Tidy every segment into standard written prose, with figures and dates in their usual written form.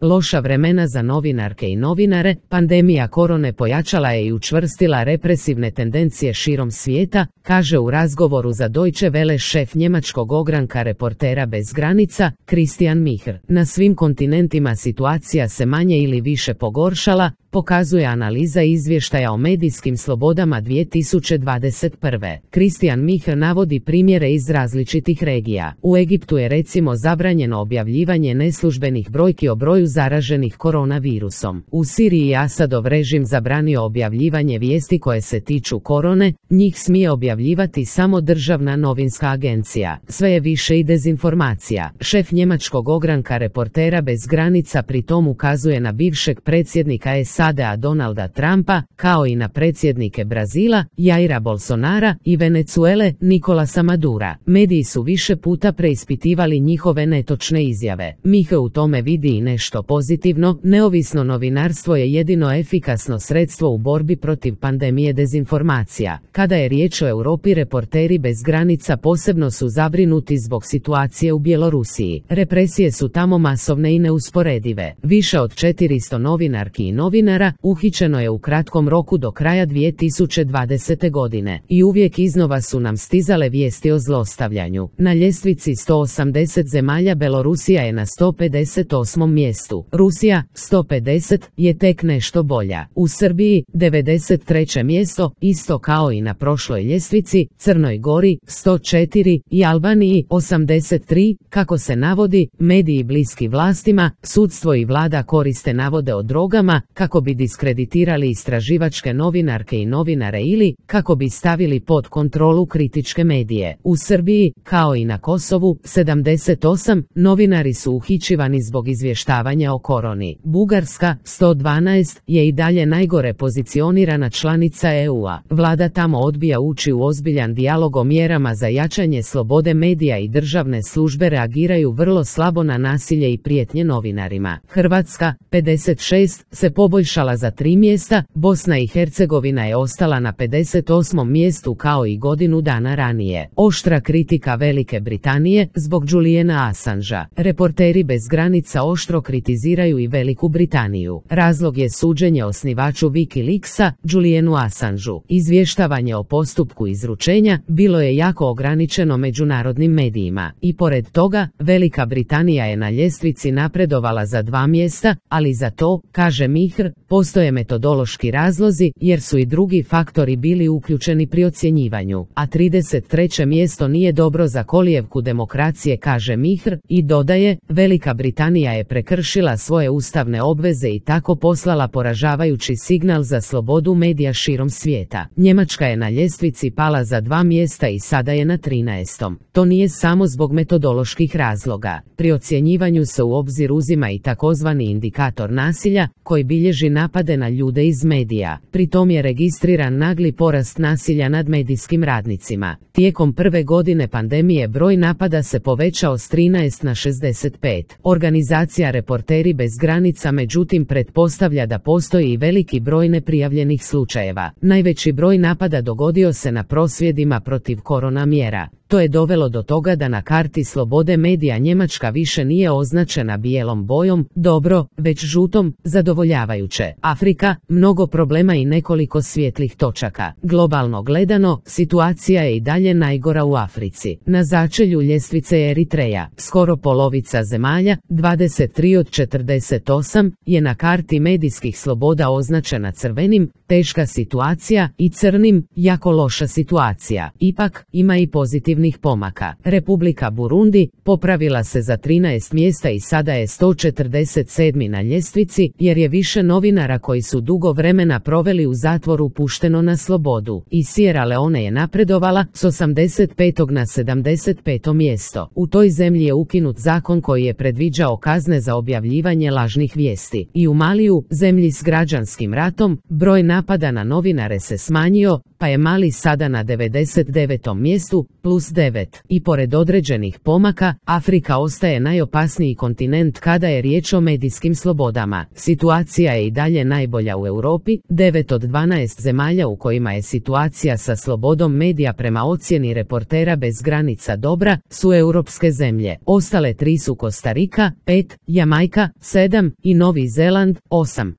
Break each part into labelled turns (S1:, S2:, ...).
S1: Loša vremena za novinarke i novinare, pandemija korone pojačala je i učvrstila represivne tendencije širom svijeta, kaže u razgovoru za Deutsche Welle šef njemačkog ogranka Reportera bez granica, Christian Micher. Na svim kontinentima situacija se manje ili više pogoršala, pokazuje analiza izvještaja o medijskim slobodama 2021. Christian Micher navodi primjere iz različitih regija. U Egiptu je recimo zabranjeno objavljivanje neslužbenih brojki o broju zaraženih koronavirusom. U Siriji je Asadov režim zabranio objavljivanje vijesti koje se tiču korone, njih smije objavljivati samo državna novinska agencija. Sve je više i dezinformacija. Šef njemačkog ogranka Reportera bez granica pri tom ukazuje na bivšeg predsjednika SAD-a Donalda Trumpa, kao i na predsjednike Brazila, Jaira Bolsonara i Venezuele, Nicolasa Madura. Mediji su više puta preispitivali njihove netočne izjave. Miche u tome vidi i nešto pozitivno, neovisno novinarstvo je jedino efikasno sredstvo u borbi protiv pandemije dezinformacija. Kada je riječ o Europi, Reporteri bez granica posebno su zabrinuti zbog situacije u Bjelorusiji. Represije su tamo masovne i neusporedive. Više od 400 novinarki i novinara uhićeno je u kratkom roku do kraja 2020. godine. I uvijek iznova su nam stizale vijesti o zlostavljanju. Na ljestvici 180 zemalja Belorusija je na 158. mjestu. Rusija, 150, je tek nešto bolja. U Srbiji, 93. mjesto, isto kao i na prošloj ljestvici, Crnoj Gori, 104 i Albaniji, 83, kako se navodi, mediji bliski vlastima, sudstvo i vlada koriste navode o drogama, kako bi diskreditirali istraživačke novinarke i novinare ili, kako bi stavili pod kontrolu kritičke medije. U Srbiji, kao i na Kosovu, 78, novinari su uhićivani zbog izvještavanja o koroni. Bugarska, 112, je i dalje najgore pozicionirana članica EU-a. Vlada tamo odbija ući u ozbiljan dijalog o mjerama za jačanje slobode medija i državne službe reagiraju vrlo slabo na nasilje i prijetnje novinarima. Hrvatska, 56, se poboljšala za 3 mjesta, Bosna i Hercegovina je ostala na 58. mjestu kao i godinu dana ranije. Oštra kritika Velike Britanije zbog Juliana Assangea. Reporteri bez granica oštro kritiziraju i Veliku Britaniju. Razlog je suđenje osnivaču Wikileaksa, Julianu Assangeu. Izvještavanje o postupku izručenja bilo je jako ograničeno međunarodnim medijima. I pored toga, Velika Britanija je na ljestvici napredovala za 2 mjesta, ali za to, kaže Micher, postoje metodološki razlozi jer su i drugi faktori bili uključeni pri ocjenjivanju. A 33. mjesto nije dobro za kolijevku demokracije, kaže Micher, i dodaje, Velika Britanija je prekršila svoje ustavne obveze i tako poslala poražavajući signal za slobodu medija širom svijeta. Njemačka je na ljestvici pala za 2 mjesta i sada je na 13. To nije samo zbog metodoloških razloga. Pri ocjenjivanju se u obzir uzima i takozvani indikator nasilja, koji bilježi napade na ljude iz medija. Pri tom je registriran nagli porast nasilja nad medijskim radnicima. Tijekom prve godine pandemije broj napada se povećao s 13 na 65. Organizacija Reporteri bez granica međutim pretpostavlja da postoji i veliki broj neprijavljenih slučajeva. Najveći broj napada dogodio se na prosvjedima protiv korona mjera. To je dovelo do toga da na karti slobode medija Njemačka više nije označena bijelom bojom, dobro, već žutom, zadovoljavajuće. Afrika, mnogo problema i nekoliko svijetlih točaka. Globalno gledano, situacija je i dalje najgora u Africi. Na začelju ljestvice je Eritreja. Skoro polovica zemalja, 23 od 48, je na karti medijskih sloboda označena crvenim, teška situacija, i crnim, jako loša situacija. Ipak, ima i pozitivnih pomaka. Republika Burundi popravila se za 13 mjesta i sada je 147. na ljestvici, jer je više novinara koji su dugo vremena proveli u zatvoru pušteno na slobodu. I Sierra Leone je napredovala s 85. na 75. mjesto. U toj zemlji je ukinut zakon koji je predviđao kazne za objavljivanje lažnih vijesti. I u Maliju, zemlji s građanskim ratom, broj napada na novinare se smanjio, pa je Mali sada na 99. mjestu, plus +9. I pored određenih pomaka, Afrika ostaje najopasniji kontinent kada je riječ o medijskim slobodama. Situacija je i dalje najbolja u Europi, 9 od 12 zemalja u kojima je situacija sa slobodom medija prema ocjeni Reportera bez granica dobra su europske zemlje. Ostale 3 su Kostarika, 5, Jamajka, 7 i Novi Zeland, 8.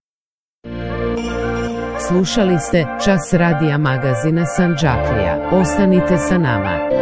S1: Slušali ste Čas radija magazina Sandžaklija. Ostanite sa nama.